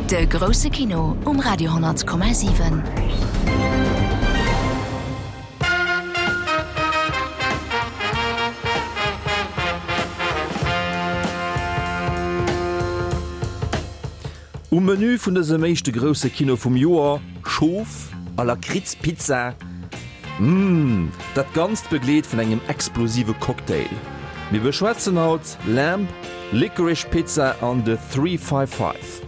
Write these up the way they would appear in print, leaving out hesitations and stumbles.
De grousse Kino um Radio 10,7. Um Menü vun dësem éischte grousse Kino vum Joer, Schof a Lakritz-Pizza. Mmh, dat Ganzt begleet vun engem explosive Cocktail. Mir beschwätzen haut Lamb, Licorice Pizza an The 355.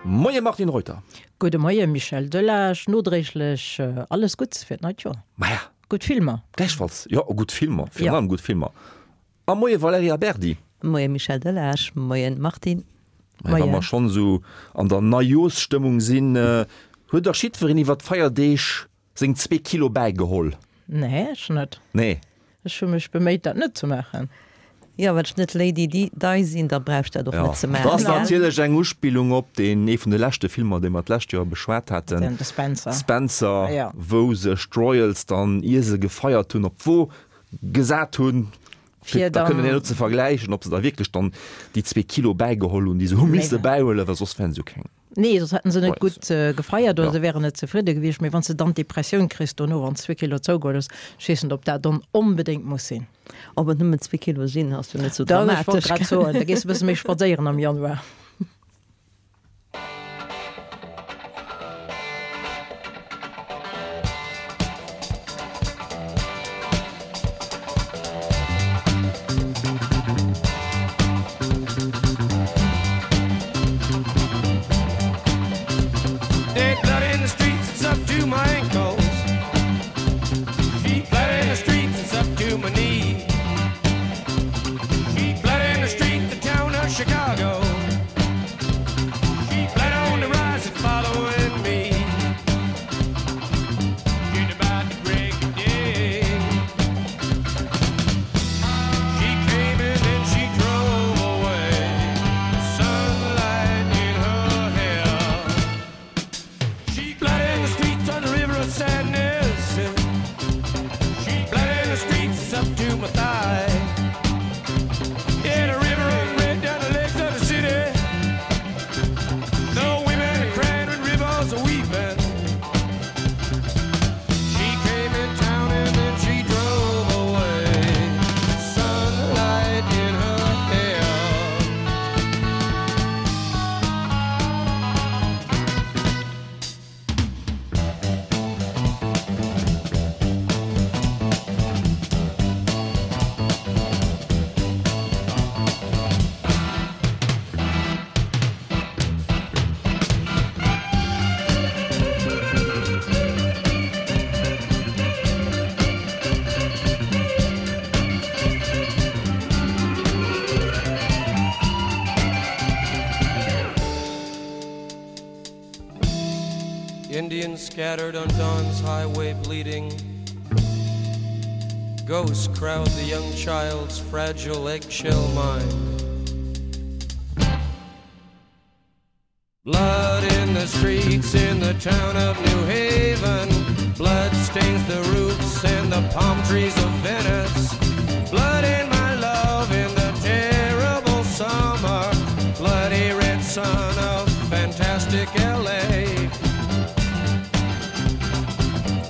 Moie Martine Reuter. Gudde Moie Michel Delage, nodréiglech alles Gutts fir d'neit Joer. Maja. Gutt Filmer. Gläichfalls, jo, gutt Filmer, virun allem gutt Filmer. A moie Valerija Berdi. Moie Michel Delage, moien Martine. Moien. Wa mer schonn esou an der Neijooschstëmmung sinn, huet dach jiddwereen iwwer d'Feierdeeg seng zwee Kilo bäigeholl? Nee, ech net. Nee. Ech hu mech beméit, dat net ze maachen. Jo, well ech net Lady Di sinn, da brauch ech dat och net ze maachen. Dat ass natierlech eng Uspillung op deen ee vun de leschte Filmer, dee mer d'lescht Joer beschwat haten, De Spencer. Spencer, wou sech d'Royals dann, ier se gefeiert hunn, op d'Wo gesat hunn, fir da kënnen herno ze vergläichen, ob se da wierklech dann déi zwee Kilo bäigeholl hunn, déi se hu misse bäihuelen, well soss wären se jo keng. Nee, soss hätten se net gutt gefeiert oder se wären net zefridde gewiescht. Mee wann s de dann d'Depressioun kriss dono, wann s zwee Kilo zougeholl hues, ech weess net, ob dat dann onbedéngt muss sinn. Ob et nëmmen zwee Kilo sinn, ass jo net sou dramatesch. Ech wollt grad soen, da gees de e bësse méi spadséieren am Januar. Indians scattered on dawn's highway bleeding. Ghosts crowd the young child's fragile eggshell mind. Blood in the streets in the town of New Haven. Blood stains the roofs and the palm trees of Venice. Blood in my love in the terrible summer. Bloody red sun of fantastic LA.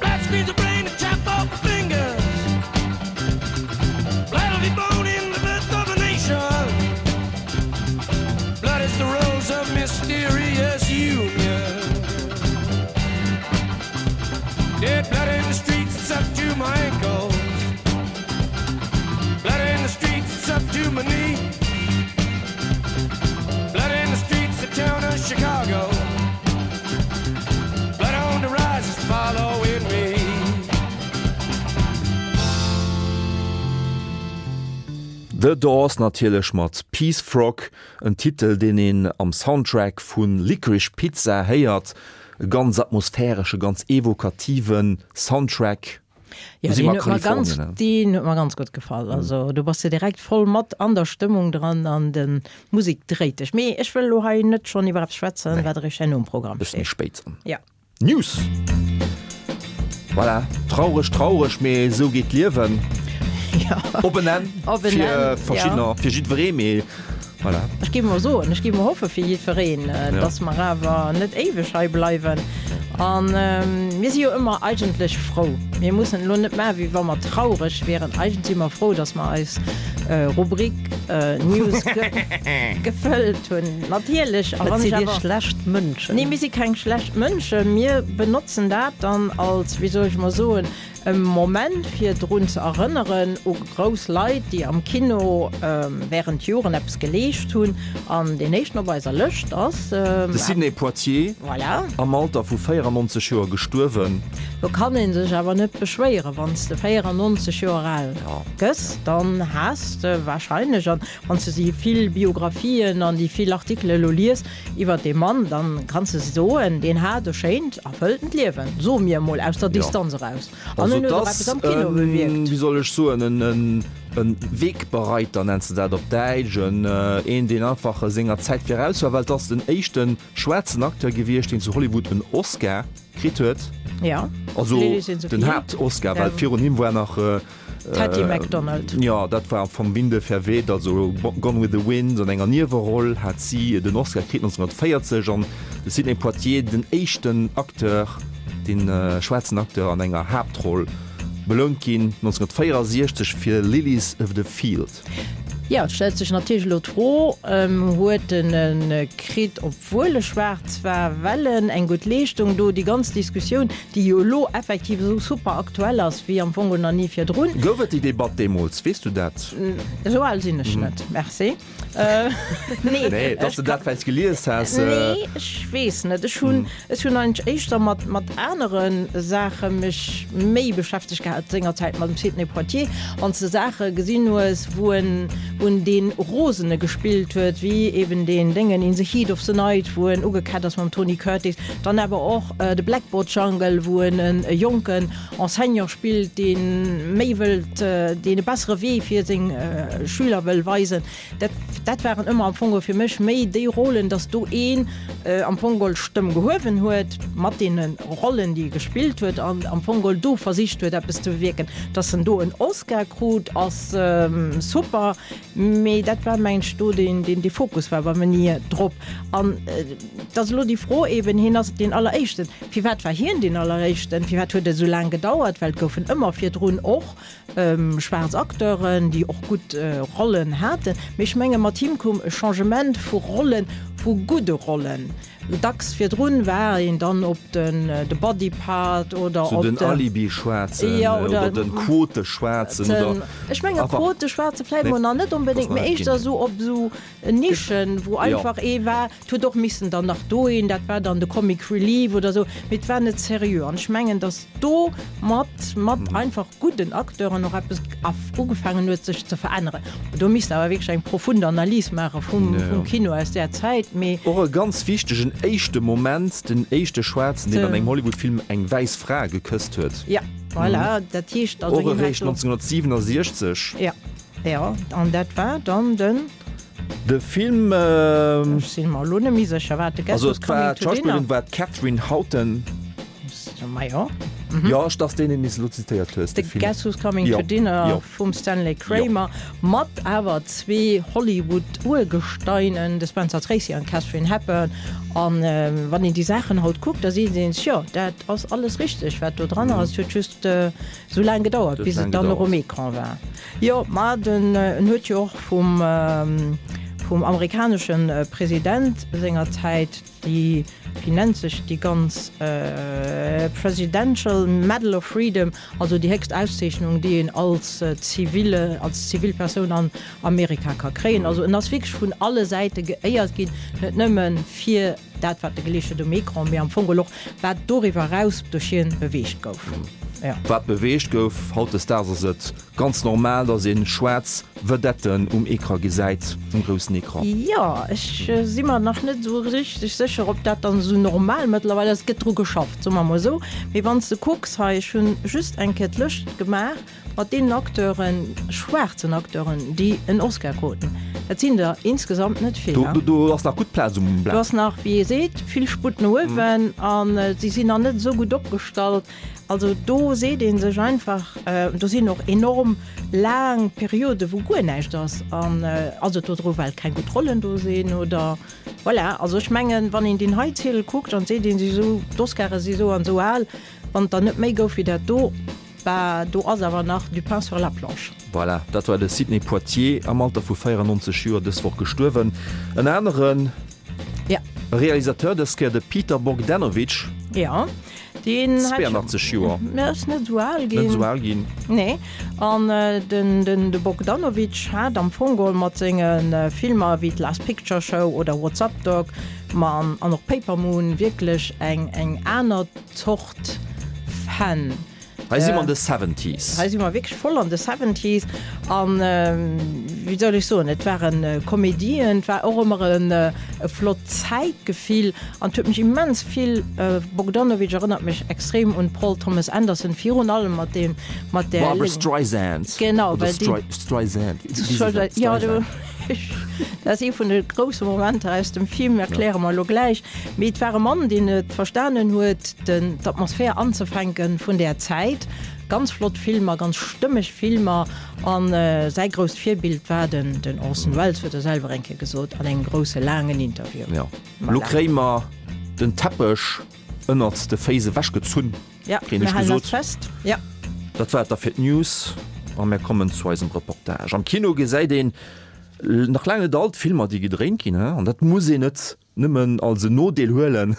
Blood squeeze the brain and chop off the fingers. Blood will be born in the birth of a nation. Blood is the rose of mysterious union. Dead blood in the streets, it's up to my ankles. Blood in the streets, it's up to my knee. Blood in the streets, the town of Chicago. Blood on the rise is following me. The Doors natierlech mat Peace Frog, en Titel deen een am Soundtrack vu Licorice Pizza héiert. E ganz atmosphäresche, ganz evokative Soundtrack. Jo, deen huet mer ganz, deen huet mer ganz gutt gefall. Also do bass de direkt voll mat an der Stëmmung dran an de Musek dréit dech. Mee ech wëll elo hei net schonn iwwer eppes schwätzen, wat eréischt herno um Programm steet. Bësse méi spéit. Jo. News! Voilà, traureg, traureg, mee esou geet d'Liewen. Op en Enn fir verschiddener, fir jiddweree, mee voilà. Ech géif mol soen, ech géif mol hoffe fir jiddwereen, dass mer awer net éiweg hei bleiwen. A mir si jo ëmmer eigentlech frou. Mir mussen elo net maachen, wéi wa mer traureg wieren. Eigentlech si mer frou, dass mer eis Rubrik News gefëllt hunn. Natierlech. A wann ech awer. Sidd Dir schlecht Mënschen? Nee, mir si keng schlecht Mënschen. Mir benotzen dat dann als, wéi soll ech mol soen, E Moment fir drun ze erënneren u grouss Leit, déi am Kino wärend Joren eppes geleescht hunn. An deen éischten op eiser Lëscht ass. De Sidney Poitier, Voilà. am Alter vu 94 Joer gestuerwen. Do kann ee sech awer net beschwéieren, wann s de 94 Joer al gëss, dann has de warscheinlech, an wann s de déi vill Biographien an déi vill Artikele elo lies, Iwwert dee Mann, dann kanns de soen, deen hat e schéint, erfëlltent Liewen, soe mir emol aus der Distanz eraus. An en huet och eppes am Kino bewierkt. Wéi soll ech soen, en Wegbereiter nenns de dat op Däitsch, een deen einfach senger Zäit viraus war, well et ass den éischte schwaarzen Acteur gewiescht, deen zu Hollywood en Oscar kritt huet. Also den Haapt-Oscar, well virun him war nach D'Hattie McDonald. Jo, dat war Vom Winde verweht, also Gone with the Wind. An enger Nieweroll hat si den Oscar kritt 1940 an de Sidney Poitier den éischten Acteur, deen schwaarzen Acteur an enger Haaptroll belount ginn 1964 fir Lilies of the Field. Jo, et stellt sech natierlech elo d'Fro, Huet en e kritt, obwuel e schwaarz war, well en eng gutt Leeschtung do, déi ganz Diskussioun, déi jo elo effektiv esou super aktuell ass wéi am Fong nach ni virdrun. Gouf et déi Debatt deemools? Weess du dat? Esou al sinn ech net, merci. Nee, nee, dass du dat vläicht gelies has. Nee, ech weess net. Ech hunn, ech hunn eigentlech éischter mat, mat anere Saache mech méi beschäftegt gehat sengerzäit mam Sidney Poitier. Wann s de Saache gesinn hues, wou en, wou en dee Rosene gespillt huet, wéi eben deen Déngen In the Heat of the Night, wou en ugekett ass mam Tony Curtis, dann awer och The Blackboard Jungle, wou en e jonken Enseignant spillt, dee méi wëllt, deen e bessere Wee fir seng Schüler wëll weisen. Dat, dat waren ëmmer am Fong geholl fir mech méi déi Rollen, datt do een am Fong geholl d'Stëmm gehuewen huet mat deene Rollen, déi e gespillt huet an am Fong geholl do versicht huet, eppes ze bewierken. Datt en do en Oscar krut, ass super, mee dat war, mengen ech, do deen, deen dee Fokus war bei mir ni drop. An et ass elo déi Fro eeben, hien ass deen Alleréischten. Firwat war hien deen Alleréischten? Firwat huet et esou laang gedauert? Well et goufen ëmmer virdrun och schwaarz Acteuren, déi och gutt Rollen haten. Mee ech menge mat him koum e Changement vu Rollen, vu gudde Rollen. Dacks virdrun war een dann op den de Body Part oder op den Alibi-Schwaarzen oder den Quote-Schwaarzen oder. Ech menge Quote-Schwaarze vläicht mol nach net onbedéngt, mee éischter esou op esou Nischen, wou einfach ee war, et huet och missen dann nach do een, dat war dann de Comic Relief oder esou, mee et war net seriö. An ech mengen, datt do mat, mat einfach gudden Acteuren och eppes ugefaangen huet sech ze veränneren. Do misst awer wierklech eng profund Analys maache vum, vum Kino aus där Zäit, mee. Och e ganz wichtegen éischte Moment, den éischte Schwaarzen, deen an engem Hollywood-Film eng wäiss Fra gekësst huet. Ja, voilà, dat heescht also, Och eréischt 1967. Ja. Jo, an dat war dann den. De Film. Ech sinn mer elo net méi sécher, wat de Guess Who's Coming to Dinner. D'Schauspillerin war d'Katherine Houghton. Ma jo. Jo, ech datt deen, deen s elo zitéiert hues, de Film. The Guess Who's Coming to Dinner vum Stanley Kramer, mat awer zwee Hollywood-Urgesteinen, de Spencer Tracy an d'Katharine Hepburn. An wann een déi Saachen haut kuckt, da seet een sech, jo, dat ass alles richteg, wat do dran ass. Et huet just esou laang gedauert, bis et dann och um Ecran war. Jo, ma den en huet jo och vum vum amerikanesche President senger Zäit déi, wéi nennt sech déi ganz, Presidential Medal of Freedom, also déi héchst Auszeechnung, déi een als zivile, als zivil Persoun an Amerika ka kréien. Also en ass wierklech vun alle Säite geéiert ginn, net nëmme fir dat wat e geleescht huet um Ecran, mee am Fong geholl och wat doriwwer eraus duerch hien beweegt gouf. Jo. Wat beweegt gouf. Hautdesdaags ass et ganz normal, dass ee schwaarz Vedetten um Ecran gesäit, um groussen Ecran. Jo, ech si mer nach net esou richteg sécher, ob dat dann esou normal mëttlerweil ass. Et gëtt dru geschafft, soe mer mol esou. Mee wann s de kucks hei, ech hunn just eng Kéier d'Lëscht gemaach mat deenen Acteuren, schwaarzen Acteuren, déi en Oscar kruten. Et sinn der insgesamt net vill. Do, do ass nach gutt Plaz um Blat. Do ass nach, wéi ee seet, vill Sputt no uewen a si sinn nach net esou gutt opgestallt. Also do seet ee sech einfach, do sinn och enorm laang Periode wou guer näischt ass an ass et dodru well keng gutt Rollen do sinn oder voilà. Also ech mengen, wann een deen hei Ziedel kuckt an seet ee sech esou, d'Oscare si sou an esou al, wann et der net méi gouf wéi dat do, bah do ass awer nach du pain sur la planche. Voilà, dat war de Sidney Poitier, am Alter vu 94 Joer dës Woch gestuerwen. En anere Realisateur, dës Kéier de Peter Bogdanovich. Jo, deen hat. 82 Joer. Mä ass net esou al ginn. Net esou al ginn. Nee. An den, den, de Bogdanovich hat am Fong geholl mat senge Filmer wéi d'Last Picture Show oder What's Up Doc, ma an, an och Paper Moon wierklech eng, eng aner Zort Fan. Hei si mer an de Seventies. Hei si mer wierklech voll an de Seventies. An wéi soll ech soen, et ware Komedien, et war och ëmmer e flott Zäitgefill an et huet mech immens vill, Bogdanovich erënnert mech extrem un Paul Thomas Anderson, virun allem mat deem, mat där. Barbra Streisand. Genau, well déi. Streisand, wéi si se? Jo, dat ass ee vun de grousse Momenter aus dem Film, erkläre mer elo gläich. Mee et war e Mann, deen et verstanen huet, d'Atmosphär anzefänke vun där Zäit. Ganz flott Filmer, ganz stëmmeg Filmer. A säi grousst Virbild war den Orson Welles, huet e selwer eng Kéier gesot an engem grousse laangen Interview. Jo, elo kréie mer den Teppech ënnert de Féiss ewechgezunn, kréien ech gesot. Fest. Ja. Dat war et da fir d'News a mär kommen zu eisem Reportage. Am Kino gesäit een nach laang net all d'Filmer, déi gedréint ginn, an dat muss een net nëmmen als en Nodeel huelen,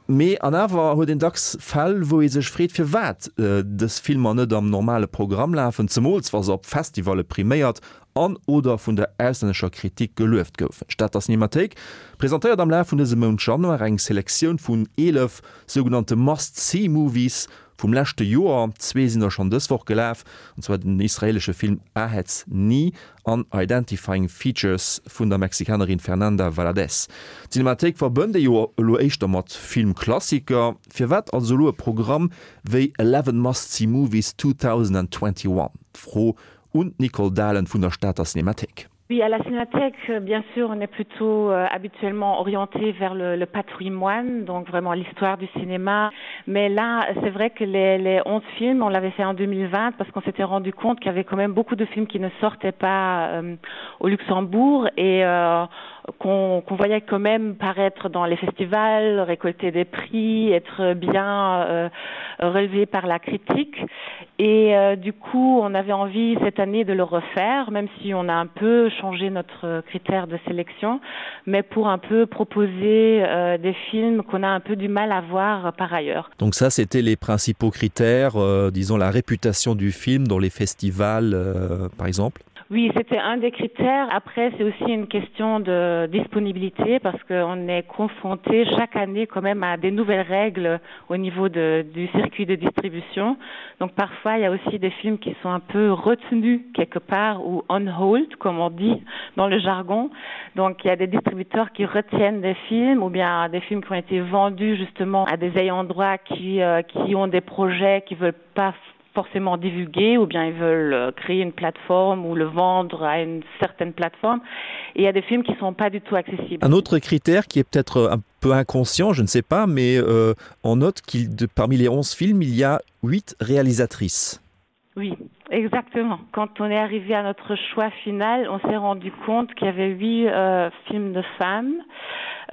mee an awer huet een dacks Fäll, wou ee sech freet, firwat dës Filmer net am normale Programm lafen, zemools wa se op Festivalle priméiert an oder vun der auslännescher Kritik gelueft goufen. D'Stater Cinemathéik presentéiert am Laf vun dësem Mount Januar eng Selektioun vun 11 sougenannte Must-See-Movies vum leschte Joer. Zwee sinn der schonn dës Woch gelaf, an zwar den israeelesche Film Ahetz Ni an Identifying Features vun der Mexikanerin Fernanda Valadez. D'Cinemathéik verbënnt ee jo elo éischter mat Filmklassiker. Firwat also elo e Programm wéi Eleven Must-See Movies 2021? D'Fro un d'Nicole Dahlen vun der Stater Cinemathéik. Oui, à la Cinémathèque, bien sûr, on est plutôt euh, habituellement orienté vers le, le patrimoine, donc vraiment l'histoire du cinéma. Mais là, c'est vrai que les, les 11 films, on l'avait fait en 2020 parce qu'on s'était rendu compte qu'il y avait quand même beaucoup de films qui ne sortaient pas euh, au Luxembourg et euh, qu'on qu voyait quand même paraître dans les festivals, récolter des prix, être bien euh, relevé par la critique. Et euh, du coup, on avait envie cette année de le refaire, même si on a un peu changé notre critère de sélection, mais pour un peu proposer euh, des films qu'on a un peu du mal à voir par ailleurs. Donc ça, c'était les principaux critères, euh, disons la réputation du film dans les festivals, euh, par exemple Oui, c'était un des critères. Après, c'est aussi une question de disponibilité parce qu'on est confronté chaque année quand même à des nouvelles règles au niveau de, du circuit de distribution. Donc parfois, il y a aussi des films qui sont un peu retenus quelque part ou on hold, comme on dit dans le jargon. Donc il y a des distributeurs qui retiennent des films ou bien des films qui ont été vendus justement à des ayants droit qui, euh, qui ont des projets qui veulent pas forcément divulguer ou bien ils veulent euh, créer une plateforme ou le vendre à une certaine plateforme et il y a des films qui sont pas du tout accessibles. Un autre critère qui est peut-être euh, un peu inconscient, je ne sais pas, mais euh, on note qu'il parmi les 11 films, il y a 8 réalisatrices. Oui, exactement. Quand on est arrivé à notre choix final, on s'est rendu compte qu'il y avait huit euh, films de femmes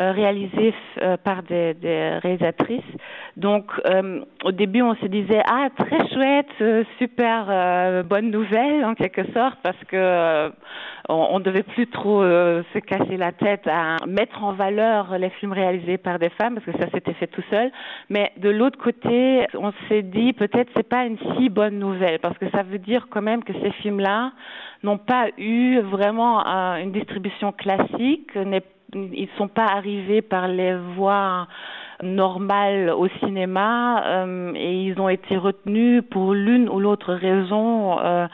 euh, réalisés euh, par des, des réalisatrices. Donc euh, au début, on se disait ah très chouette, euh, super euh, bonne nouvelle en quelque sorte parce que euh, on, on devait plus trop euh, se casser la tête à mettre en valeur les films réalisés par des femmes parce que ça s'était fait tout seul. Mais de l'autre côté, on s'est dit peut-être c'est pas une si bonne nouvelle parce que ça veut dire quand même que ces films là n'ont pas eu vraiment euh, une distribution classique, n'est ils ne sont pas arrivés par les voies normales au cinéma euh, et ils ont été retenus pour l'une ou l'autre raison euh,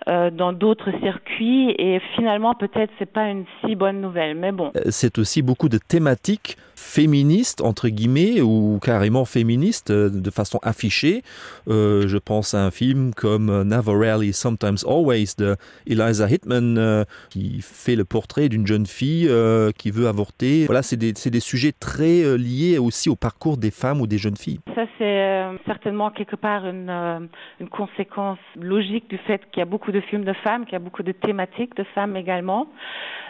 euh, dans d'autres circuits et finalement peut-être c'est pas une si bonne nouvelle mais bon. Euh, c'est aussi beaucoup de thématiques féministes entre guillemets ou carrément féministes euh, de façon affichée. Euh, je pense à un film comme euh, Never Rarely Sometimes Always de Eliza Hitman euh, qui fait le portrait d'une jeune fille euh, qui veut avorter. Voilà, c'est des, des sujets très euh, liés aussi au parcours des femmes ou des jeunes filles. Ça c'est euh, certainement quelque part une, euh, une conséquence logique du fait qu'il y a beaucoup de films de femmes, qu'il y a beaucoup de thématiques de femmes également.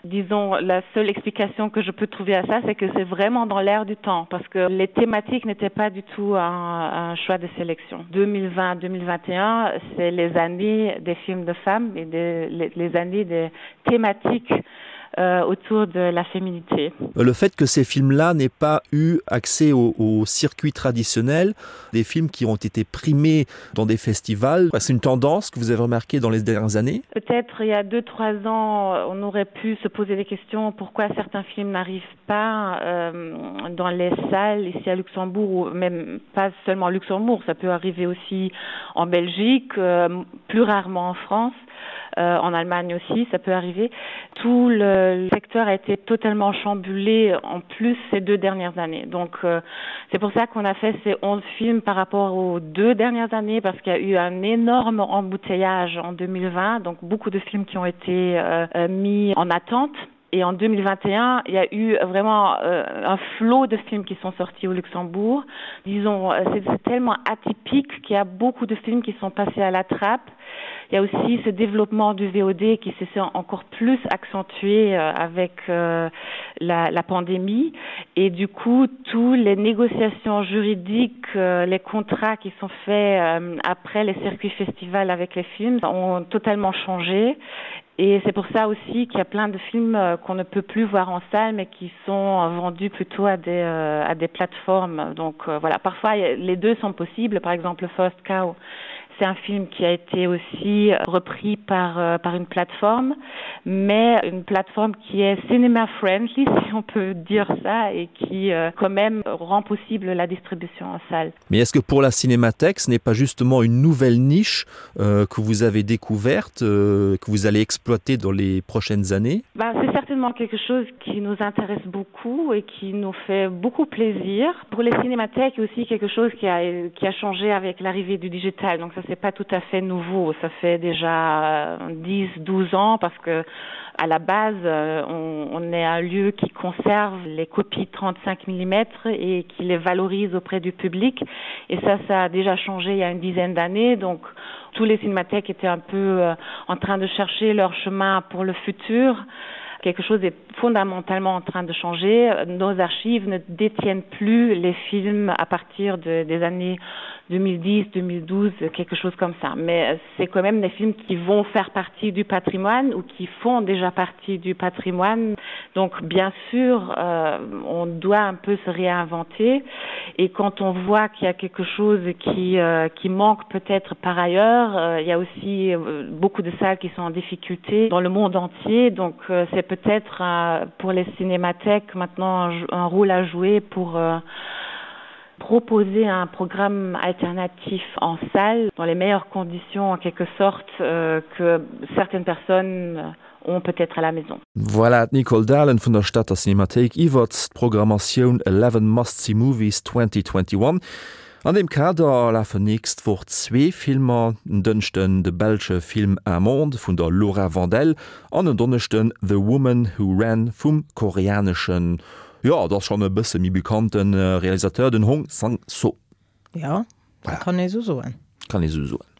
Disons la seule explication que je peux trouver à ça, c'est que c'est vraiment dans l'air du temps parce que les thématiques n'étaient pas du tout un, un choix de sélection. 2020 2021, c'est les années des films de femmes et des, les, les années des thématiques euh, autour de la féminité. Le fait que ces films-là n'aient pas eu accès au, au circuit traditionnel, des films qui ont été primés dans des festivals, c'est une tendance que vous avez remarqué dans les dernières années Peut-être il y a deux trois ans, on aurait pu se poser des questions pourquoi certains films n'arrivent pas euh, dans les salles ici à Luxembourg ou même pas seulement à Luxembourg, ça peut arriver aussi en Belgique, euh, plus rarement en France euh, en Allemagne aussi, ça peut arriver. Tout le secteur a été totalement chamboulé en plus ces deux dernières années. Donc euh, c'est pour ça qu'on a fait ces 11 films par rapport aux deux dernières années parce qu'il y a eu un énorme embouteillage en 2020, donc beaucoup de films qui ont été euh, euh mis en attente. Et en 2021, il y a eu vraiment euh, un flot de films qui sont sortis au Luxembourg. Disons, euh, c'est tellement atypique qu'il y a beaucoup de films qui sont passés à la trappe. Il y a aussi ce développement du VOD qui s'est encore plus accentué euh, avec euh, la, la pandémie et du coup toutes les négociations juridiques, euh, les contrats qui sont faits euh, après les circuits festivals avec les films ont totalement changé Et c'est pour ça aussi qu'il y a plein de films euh, qu'on ne peut plus voir en salle mais qui sont vendus plutôt à des, euh, à des plateformes. Donc euh, voilà, parfois les deux sont possibles. Par exemple, First Cow, c'est un film qui a été aussi repris par, euh, par une plateforme, mais une plateforme qui est cinéma friendly, si on peut dire ça, et qui euh, quand même rend possible la distribution en salle. Mais est-ce que pour la cinémathèque, ce n'est pas justement une nouvelle niche euh, que vous avez découverte, euh, que vous allez exploiter dans les prochaines années ben, C'est certainement quelque chose qui nous intéresse beaucoup et qui nous fait beaucoup plaisir. Pour les cinémathèques aussi quelque chose qui a, qui a changé avec l'arrivée du digital. Donc ça c'est pas tout à fait nouveau, ça fait déjà 10 euh, 12 ans parce que à la base euh, on, on est un lieu qui conserve les copies 35 mm et qui les valorise auprès du public et ça ça a déjà changé il y a une dizaine d'années donc tous les cinémathèques étaient un peu euh, en train de chercher leur chemin pour le futur quelque chose est fondamentalement en train de changer nos archives ne détiennent plus les films à partir de, des années 2010 2012 quelque chose comme ça mais c'est quand même des films qui vont faire partie du patrimoine ou qui font déjà partie du patrimoine donc bien sûr euh, on doit un peu se réinventer et quand on voit qu'il y a quelque chose qui euh, qui manque peut-être par ailleurs euh, il y a aussi euh, beaucoup de salles qui sont en difficulté dans le monde entier donc euh, c'est peut-être euh, pour les cinémathèques maintenant un, un rôle à jouer pour euh, proposer un programme alternatif en salle dans les meilleures conditions en quelque sorte euh, que certaines personnes ont peut-être à la maison. Voilà d'Nicole Dahlen vun der Stater Cinémathéik iwwert d'Programmatioun 11 Must See Movies 2021. An deem Kader lafen nächst Woch zwee Filmer, en Dënschden de belsche Film Un monde vun der Laura Vandel an en Donneschden The Woman Who Ran vum koreaneschen Jo, et ass schonn e bësse méi bekannte Realisateur, den Hong Sang-soo. Jo, dat kann ee sou soen. Kann ee sou soen.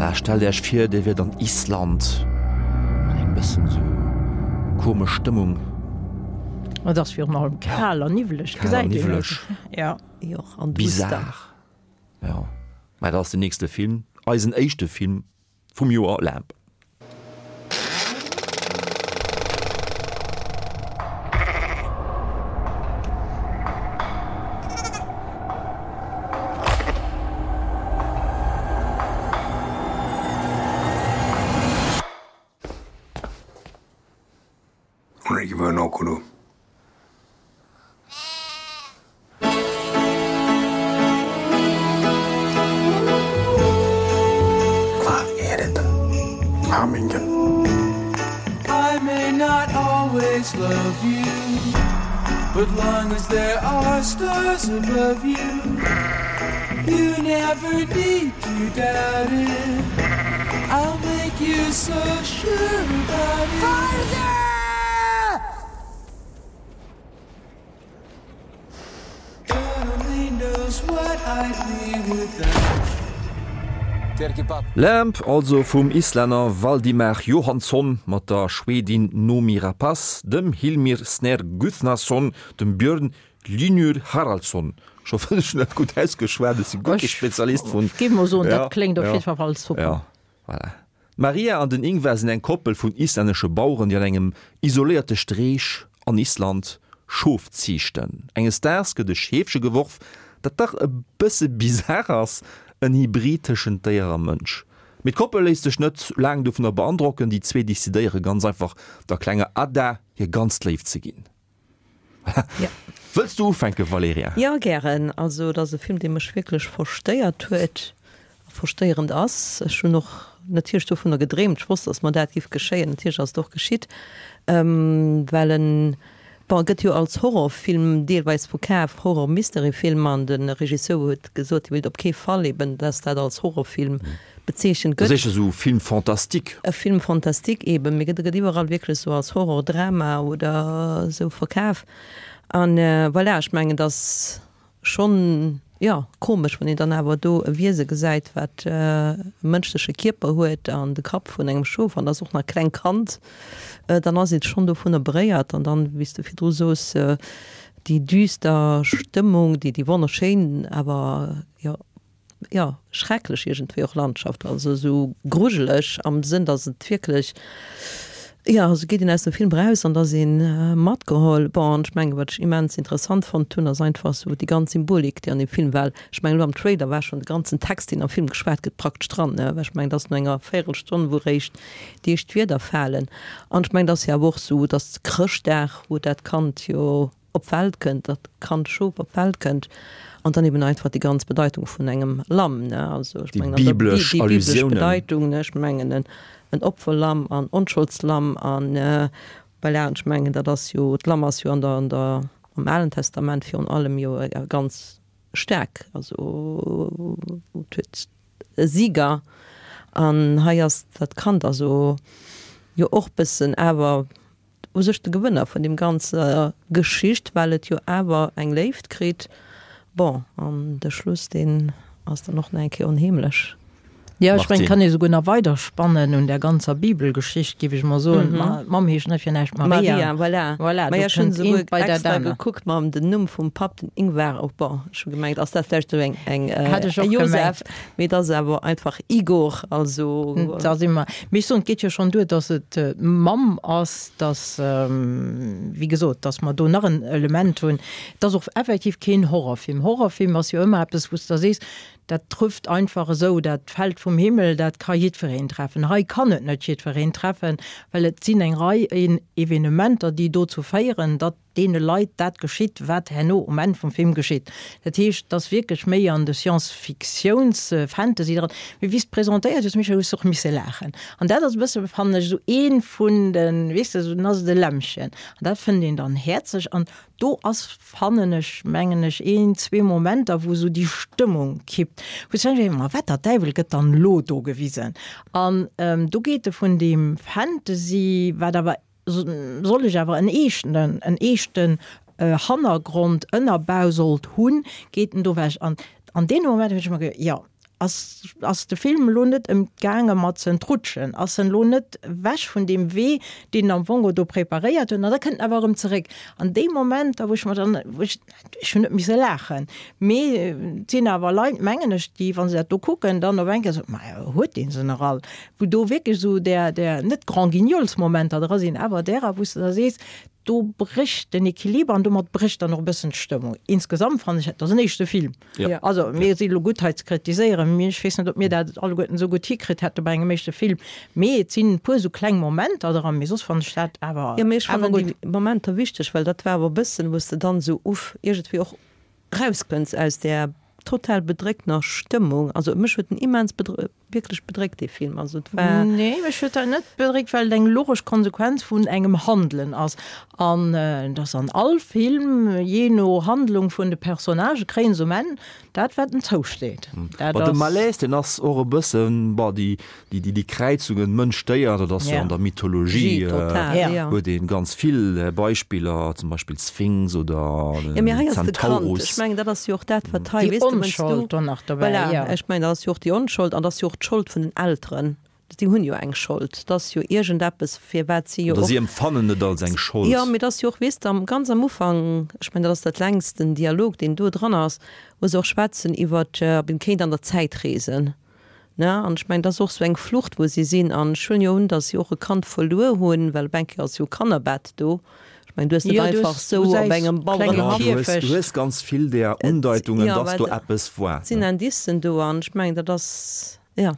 Voilà, stellt Äech vir, Dir wiert an Island. Eng bëssen esou komesch Stëmmung. Et ass virun allem kal an niwweleg, Kal an niwweleg. Ja. Jo, an duster. Bizar. Ja, mä dat ass den nächste Film, eisen éischte Film vum Joer, Lamb. Hún er ekki vön ókunnu. Hvað er þetta? Hamingjan. I may not always love you, but long as there are stars above you, you never need to doubt it. I'll make you so sure about it. Farðu! God only knows what I'd be without you. Lamb, also vum Islänner Valdimar Jóhannsson mat der Schwedin Noomi Rapace, dem Hilmir Snær Guðnason, dem Björn Hlynur Haraldsson, ech hoffen ech hunn dat gutt ausgeschwat, ech si guer kee Spezialist vun. Ech géif mol soen, dat kléngt op jiddwer Fall super. Ja, voilà. D'Maria an den Ingvar sinn eng Koppel vun islännesche Baueren, déi an engem isoléierte Streech an Island Schof ziichten. Enges Daags gëtt e Scheefche geworf, dat dach e bësse bizar ass, en Hybrid tëschent Déier a Mënsch. Mee d'Koppel léisst sech net laang dovunner beandrocken, déi zwee decidéiere ganz einfach, der klenger Adda hir ganz Léift ze ginn. Ja. Wëlls du ufänken, Valerija? Jo, gären. Also et ass e Film, dee mech wierklech verstéiert huet a verstéierend ass. Ech hunn och natierlech dovunner gedreemt. Ech wosst, datt mer dat giff geschéien. Natierlech ass et och geschitt, well en, bon, e gëtt jo als Horrorfilm deelweis verkaf, Horror-Mystery-Film, an de Regisseur huet gesot, hie wéilt op kee Fall eben, datt dat als Horrorfilm bezeechent gëtt. Dat ass éischter esou Film fantastique. E Film fantastique eben, mee gëtt gëtt iwwerall wierklech esou als Horror-Drama oder esou verkaf. An voilà, ech mengen, et ass schonn, jo, komesch, wann een dann awer do e Wiese gesäit, wat e mënschleche Kierper huet an de Kapp vun engem Schof an ass och nach e klengt Kand, dann ass ee schonn dovunner beréiert. An dann, wéi s de virdru soos, déi düster Stëmmung, déi déi wonnerschéin awer, jo, jo, schrecklech iergendwéi och Landschaft, also esou grujeleg am Sënn, datt et wierklech, jo, esou geet een aus dem Film eraus an et ass ee matgeholl. Bon, an ech mengen, wat ech immens interessant fonnt hunn, ass einfach esou déi ganz Symbolik, déi an deem Film war. Ech mengen, elo am Trailer war schonn de ganzen Text, deen am Film geschwat gëtt, praktesch dran, ne, well ech mengen, et ass no enger Véierelstonn, wou eréischt déi éischt Wierder falen. An ech mengen, et ass jo awer och esou, datt Chrëschtdag, wou dat Kand jo op d'Welt kënnt, datt d'Kand Schof op d'Welt kënnt an dann eben einfach déi ganz Bedeitung vun engem Lamm, ne, also ech Déi mengen an der biblesch déi biblesch Allusiounen. Bedeitung, ne, ech mengen en en Opferlamm an Onschuldsslamm an voilà, an ech mengen dat ass jo, d'Lamm ass jo an der an der am Alen Testament virun allem jo e ganz staark, also et huet e Sieger an hei ass dat Kand also jo och bëssen awer u sech de Gewënner vun deem ganzer Geschicht, well et jo awer eng Léift kritt. Bon, an de Schluss, deen ass dann och nach eng Kéier onheemlech. Jo, ech mengen, et kann ee souguer nach weider spannen un där ganzer Bibelgeschicht, géif ech mol soen. D'Mamm heescht net fir näischt Maria. Maria, voilà. Voilà, do Maja, ech hunn kënnt esouguer eent bei dat extra anert. gekuckt mam den Numm vum Papp, den Ingvar, oh bon, ech hu gemengt, ass dat vläicht esou eng, eng, Hat ech e och Josef, gemengt. mee et ass awer einfach Igor, also. Da si mer. Mee ech soen, et geet jo schonn duer, dass et d'Mamm ass, dass, wéi gesot, dass mer do nach en Element hunn. Et ass och effektiv keen Horrorfilm. Horrorfilm ass jo ëmmer eppes, wou s de da sees, dat trëfft einfach esou, dat fält vum Himmel, dat ka jiddwereen treffen. Hei kann et net jiddwereen treffen, well et sinn eng Rei Evenementer, déi dozou féieren, datt deene Leit dat geschitt, wat herno um Enn vum Film geschitt. Dat heescht, et ass wierklech méi an de Science-Fictiouns-Fantasy dran. Mee wéi s de presentéiert hues, Michèle, hues de och misse laachen. An dat ass e bësse, fannen ech, esou ee vun de, weess de, dann ass et e Lämmchen. An dat fënnt een dann häerzeg. An do ass, fannen ech, mengen ech, een, zwee Momenter, wou esou déi Stëmmung kippt, wou s de denkst, Ma wat der Däiwel gëtt dann elo do gewisen? An do geet e vun deem Fantasy, wat awer soll ech awer en eeschten, en eeschten Hannergrond, Ënnerbau sollt hunn, geet en do ewech. An an deem Moment hunn ech mer geduecht, jo. Ass, ass de Film elo net ëm gaange mat ze entrutschen? Ass en elo net ewech vun deem Wee, deen en am Fong do preparéiert huet? An da kënnt en awer erëm zeréck. An deem Moment, da wou ech mer dann, wou ech, ech hunn net misse laachen, mee et sinn awer Leit, mengen ech, déi, wa se dat do kucken, dann op eng Kéier soen, Ma huet dee se nach all? Wou do wierklech esou där, där, net Grand-Guignols-Momenter dra sinn, awer därer, wou s de da sees, Do brécht den Equiliber an domat brécht dann och e bëssen d'Stëmmung. Insgesamt fannen ech, et ass en éischte Film. Ja. Also mir si lo gutt hei ze kritiséieren, mee ech weess net, ob mir dat alleguerten esou gutt hikritt hätte bei engem éischte Film. Mee et sinn e puer esou kleng Momenter dran, mee soss fannen ech dat awer Jo, mee ech awer fannen gutt. déi Momenter wichteg, well dat war awer e bëssen, wou s de dann esou uff iergendwéi och rauskënns aus där total bedréckter Stëmmung. Also mech huet en immens bedr wierklech bedréckt dee Film. Also et war. Nee, mech huet dat net bedréckt, well et eng logesch Konsequenz vun engem Handelen ass. An et ass an all Film, jee no Handlung vun de Personnagë kréien se um Enn dat wat en zousteet. Dat Bon, de ass. Malaise, deen ass och e bëssen, bon, déi Déi Kräizungen Mënsch-Déier, dat ass jo an der Mythologie, huet ee ganz vill Beispiller, zum Beispill d'Sphinx oder den Zentaurus. Ech mengen, dat ass jo och dat, wat hei, weess de, wenn's du, voilà, ech mengen, dat ass jo och déi Onschold an dat ass jo och d'Schold vun den Elteren. Si hunn jo eng Schold, dat ass jo iergendeppes, firwat si jo och. Oder si empfannen et als eng Schold. Jo, mee dat ass jo och, weess de, ganz am Ufank, ech mengen, dat ass dat längsten Dialog, deen do dran ass, wou se och schwätzen iwwert, ob een kéint an der Zäit reesen. Ne? An ech mengen, dat ass och esou eng Flucht, wou si sinn. An ech huelen jo un, datt si och e Kand verluer hunn, well op eng Kéier ass jo e Kannerbett do. Ech mengen, du hues net einfach esou op engem Bauerenhaff. Du hues, du hues ganz vill där Undeitungen, datt do eppes war. Et sinn Indicen do an ech mengen, dat ass, jo.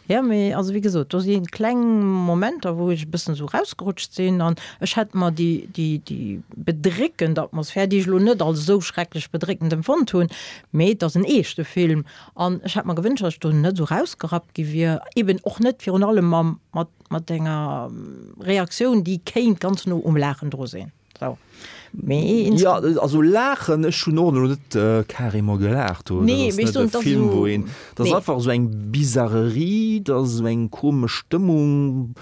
Jo, mee also wéi gesot, do si kleng Momenter, wou ech e bëssen esou rausgerutscht sinn an ech hätt mer déi, déi, déi bedréckend Atmosphär, déi ech elo net als esou schrecklech bedréckend empfonnt hunn, mee et ass en eeschte Film, An ech hätt mer gewënscht, datt ech do net esou rausgerappt gi wier, eben och net virun allem mam, mat, mat enger Reaktioun, déi kéint ganz no um Laachen dru sinn. Sou. Mee ins. Jo, also laachen, ech hunn och elo net carrément gelaacht do. Nee, Dat mee ass ech soen, net et e ass Film, esou, wou een, dat ass nee. einfach esou eng Bizarrerie, dat ass esou eng komesch Stëmmung.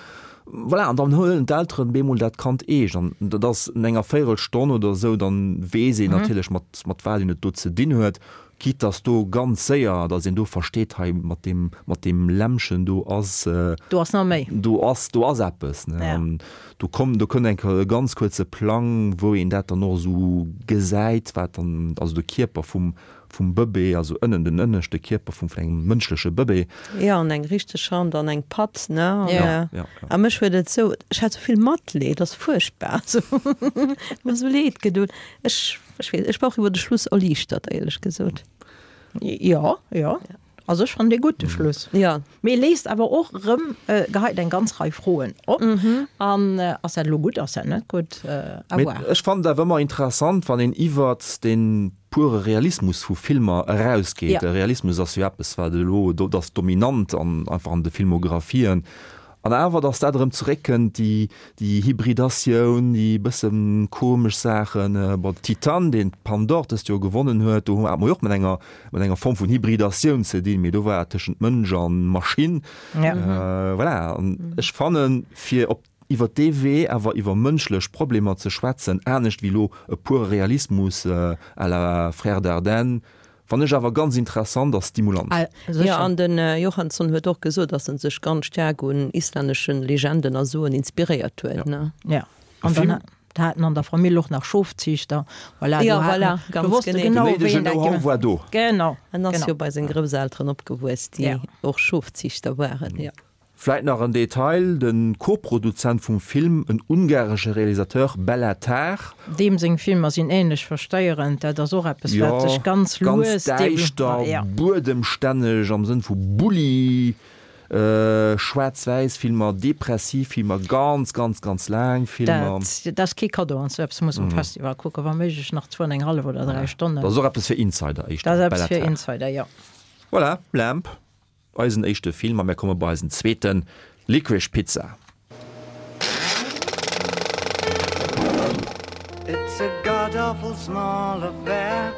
Voilà, an dann huelen d'Elteren bemol dat Kand eescht an dat ass no enger Véierelstonn oder esou, dann weess een natierlech mat, mat wat een et do ze dinn huet. Quitte dass do ganz séier, dass een do versteet, hei mat deem, mat deem Lämmchen do ass. Do ass nach méi. Do ass, do ass eppes, ne. Ja. An do komm, do kënnt eng Kéier e ganz kuerze Plang, wou een dat dann och esou gesäit, wat dann, also de Kierper vum, vum Bëbee, also ënnen, den ënneschte Kierper vum, vun engem mënschleche Bëbee. Jo, an eng richteg Hand an eng Patt, ne. An, Ja. Ja, ja. a mech huet et esou, ech hat esou vill Matleed, ass fuerchtbar, esou, huet mer esou leed gedoen. Ech. Ech weess, ech war och iwwer de Schluss erliichtert, éierlech gesot. Jo, jo. Also ech fannen dee gutt, de Schluss. Jo. Mee e léist awer och erëm, geheit eng ganz Rei Froen op. An ass dat elo gutt, ass dat net gutt? À Mee voir. ech fannen et awer ëmmer interessant, wann een iwwert dee pure Realismus vu Filmer erausgeet. Ja. De Realismus ass jo eppes, wat elo, dat ass dominant an einfach an de Filmographien. An awer, datt dat erëm zeréckkënnt, déi, déi Hybridatioun, déi bësse komesch Saachen. Bon, Titane, deen d'Palme d'Or dëst Joer gewonnen huet, do hate mer jo och mat enger, mat enger Form vun Hybridatioun ze dinn, mee do war et tëschent Mënsch a Maschinn. Voilà, an ech fannen, fir op, iwwer dee Wee awer iwwer mënschlech Problemer ze schwätzen, anescht wéi elo e pure Realismus à la Frères Dardenne, Fann ech awer ganz interessant a stimulant. Jo, an den Johansson huet och gesot, dass en sech ganz staark un islänneschen Legenden a Soen inspiréiert huet, ne? Jo, an dann haten an der Famill och nach Schofziichter. Voilà, Jo, voilà, ganz genee. Den néidegen Know-how war do. Genau. En ass jo bei seng Grousselteren opgewuess, déi och Schofziichter waren. Jo. Vläit nach en Detail, de Co-Produzent vum Film, en ungaresche Realisateur, Bela Tarr. Deem seng Filmer sinn ähnlech versteierend, dat ass och eppes wat sech ganz lues ganz däischter, buedemstänneg am Sënn vu Bulli, schwaarz-wäiss Filmer, depressiv Filmer, ganz, ganz, ganz laang Filmer. Dat ass kee Kaddo, an sou eppes muss um Festival kucken, wa méiglech nach zwou an eng hallef oder 3 Stonnen. Dat ass och eppes fir Insider éischter, Dat ass eppes Bela fir Tarr. Insider, jo. Voilà, Lamb. Eisen éischte Film a mär komme bei eisen zweeten, Licorice Pizza. It's a god awful small affair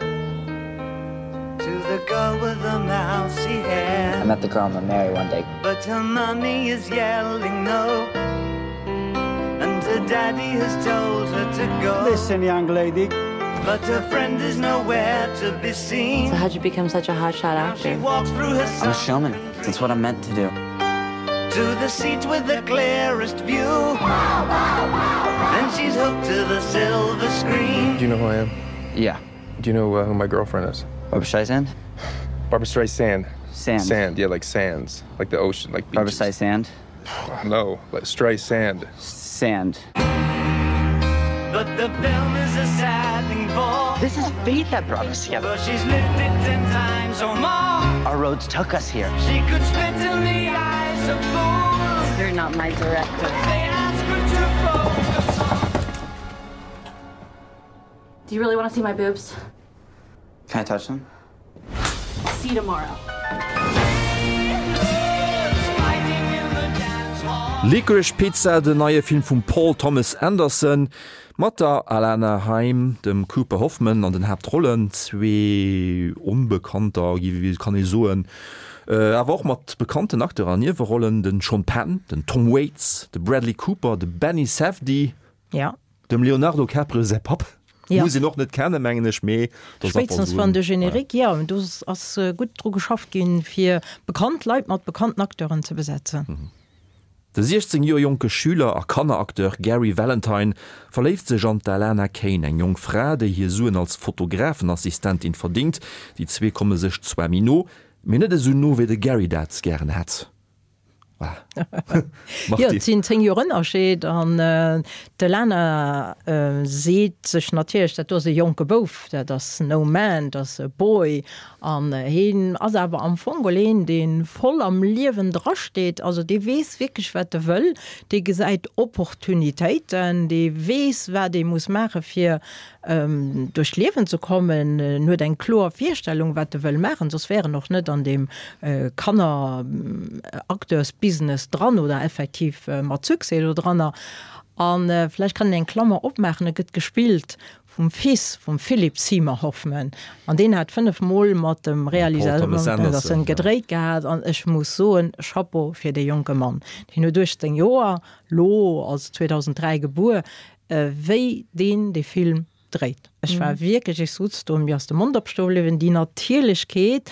to the girl with the mousy hair. I met the girl I'm gonna marry one day. But her mommy is yelling no. And her daddy has told her to go. Listen, young lady. But her friend is nowhere to be seen. So how'd you become such a hotshot actor? She walks through her I'm a showman. That's what I'm meant to do. To the seat with the clearest view. Then she's hooked to the silver screen. Do you know who I am? Yeah. Do you know uh, who my girlfriend is? Barbara Streisand? Barbara Streisand. Sand. Sand, yeah, like sands, like the ocean, like Barbara beaches. Streisand? No, like Streisand. Sand. But the film is a sad thing for. This is fate that brought us together. But she's lived it ten times or more. Our roads took us here. She could spit in the eyes of fools. You're not my director. They ask her to focus on. Do you really want to see my boobs? Can I touch them? See you tomorrow. Licorice Pizza, den neie Film vum Paul Thomas Anderson mat der Alana Haim, dem Cooper Hoffman an den Haaptrollen, zwee Onbekannter, kann ee soen, awer och mat bekannten Acteuren an Niewerollen, den Sean Penn, den Tom Waits, de Bradley Cooper, de Benny Safdie, Ja. Dem Leonardo Caprio säi Papp ja. muss een och net kennen, mengen ech, mee Spéitstens wann de Générique, ja, do ass gutt dru geschafft ginn, fir bekannt Leit mat bekannten Acteuren ze besetzen. Mhm. De 16 Joer jonke Schüler a Kanneracteur Gary Valentine verléift sech an d'Alana Kane, eng jonk Fra, déi hir Suen als Fotografenassistentin verdingt. Déi zwee komme sech zwar méi no, mee net esou no, wéi de Gary dat gären hätt. Jo, et sinn 10 Joer Ënnerscheed an d'Elana seet sech natierlech, dat do ass e jonke Bouf, dat ass no man, dat ass e boy. An hien ass awer am Fong geholl een, dee voll am Liewen drasteet, also dee weess wierklech, wat e wëll, dee gesäit Opportunitéiten, dee weess, wat ee muss maache fir duerch d'Liewen ze kommen. En huet eng kloer Virstellung, wat e wëll maachen, soss wär en och net an deem Kanner-Acteursbusiness dran oder effektiv mat Succès do dranner. A vläicht kann een eng Klammer opmaachen, E gëtt gespillt vum Fils vum Philip Seymour Hoffman an deen hat 5 Mol mat dem Realisateur Anderson gedréit gehat an ech muss soen, Chapeau fir dee jonke Mann. Deen huet 18 Joer, lo, also 2003 gebuer, wéi deen dee Film dréit. Ech war wierklech, ech sutz do, mir ass de Mond opstoe bliwwen, déi Natierlechkeet,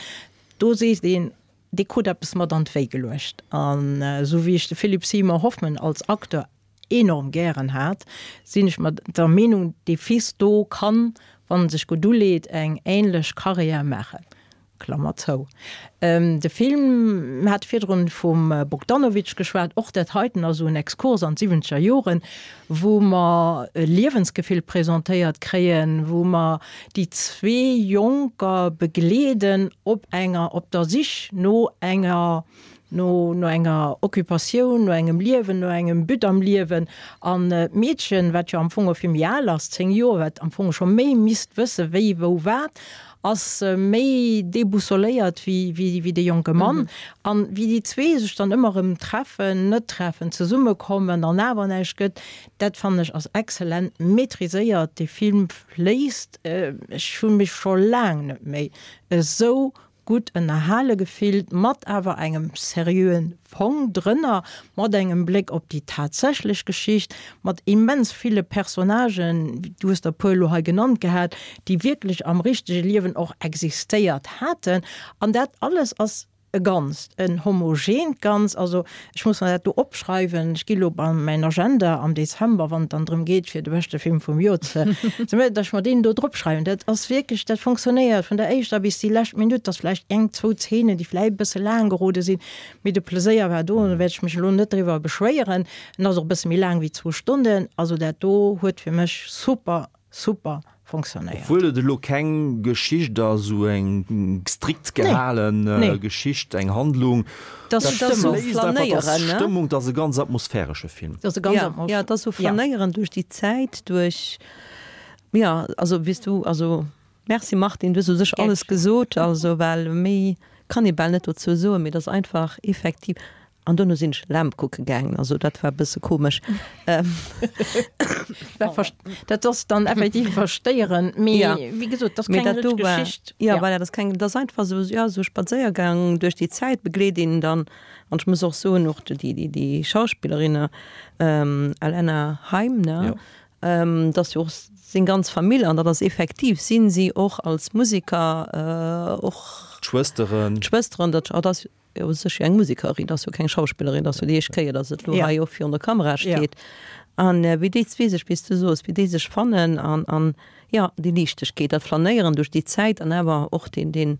do sees een, dee krut eppes mat an d'Wéi geluecht. An esou wéi ech de Philip Seymour Hoffman als Acteur enorm gären hat, sinn ech mer der Meenung, dee Fils do kann, wann en sech gutt uleet, eng ähnlech Karriär maachen. Klammer zou. De Film, mir hate virdrun vum Bogdanovich geschwat, och dat heiten ass esou en Exkurs an d'siwwenzeger Joren, wou mer e Liewensgefill presentéiert kréien, wou mer déi zwee Jonker begleeden op enger, op der Sich no enger, no no enger Occupatioun, no engem Liewen, no engem But am Liewen. An d'Meedchen, wat jo am Fong och vill méi al ass, 10 Joer, wat am Fong scho méi misst wësse wéi, wou, wat, ass méi déboussoléiert wéi dee jonke Mann. An wéi déi zwee sech dann ëmmer erëm treffen, net treffen, zesummekommen an awer näischt gëtt, dat fannen ech ass exzellent maîtriséiert. Dee Film fléisst. Ech hu mech scho laang net méi esou gutt ënnerhale gefillt, mat awer engem seriöen Fong drënner, mat engem Bléck op déi tatsächlech Geschicht, mat immens ville Personnagen, du hues der e puer elo hei genannt gehat, déi wierklech am richtege Liewen och existéiert haten. An dat alles ass e Ganzt, en homogeent Ganz. Also ech muss mer dat do opschreiwen, ech gi lo bei mäin Agenda am Dezember, wann et dann drëm geet, fir de beschte Film vum Joer ze, datt ech mer deen do drop schreiwen. Dat ass wierklech, dat fonctionnéiert vun der éischter bis déi lescht Minutt. Et ass vläicht eng, zwou Zeenen, déi vläicht e bësse laang gerode sinn, mee de Pleséier war do an do wäert ech mech elo net driwwer beschwéieren. En ass och e bësse méi laang wéi zwou Stonnen. Also dat do huet fir mech super super fonctionnéiert. Obwuel et elo keng Geschicht ass, esou eng strikt gehalen Geschicht, eng Handlung, dat ass Stëmmung, Stëmmung, dat ass e ganz atmosphäresche Film. Dat ass e ganz atmos-, ja, dat ass esou Flanéieren duerch déi Zäit, duerch, jo, also wéi s du, also merci Martine, du hues u sech alles gesot, also well méi kann ee bal net dozou soen, mee et ass einfach effektiv, An dono sinn ech Lamb kucke gaangen, also dat war e bësse komesch. Dat ass dann effektiv verstéierend, mee wéi gesot, dat ass keng richteg Geschicht. Jo, voilà, dat ass keng, dat ass einfach esou, jo, esou e Spadséiergang duerch déi Zäit, begleet een dann. An ech muss och soen, och déi, déi, déi Schauspillerinne, Alana Haim, ne? Dat ass jo och seng ganz Famill an dat ass effektiv, sinn si och als Museker och. D'Schwësteren. D'Schwësteren, dat ass jo u sech jo eng Musekerin, dat ass jo keng Schauspillerin, dat ass jo déi éischt Kéier, datt et elo hei och virun der Kamera steet. An wéi déi zwee sech, wéi s du soos, wéi déi sech fannen an, an jo, déi Liichtegkeet, dat Flanéieren duerch déi Zäit an awer och deen, deen,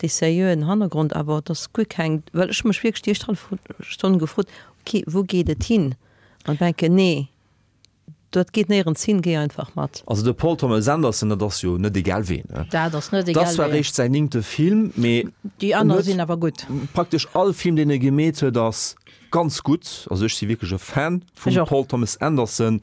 dee seriöen Hannergrond, awer et ass guer keng, well ech hu mech wierklech déi éischt hallef Stonn gefrot, ok, wou geet et hin? An denken, nee. Dat geet néierens hin, géi einfach mat. Also de Paul Thomas Anderson, dat ass jo net egal ween, ne? Dat ass net egal ween. Dat ass zwar eréischt säin néngte Film, mee Déi aner sinn awer gutt. Praktesch all Film, deen e gemeet huet, ass ganz gutt. Also ech si wierklech e Fan vum Paul Thomas Anderson.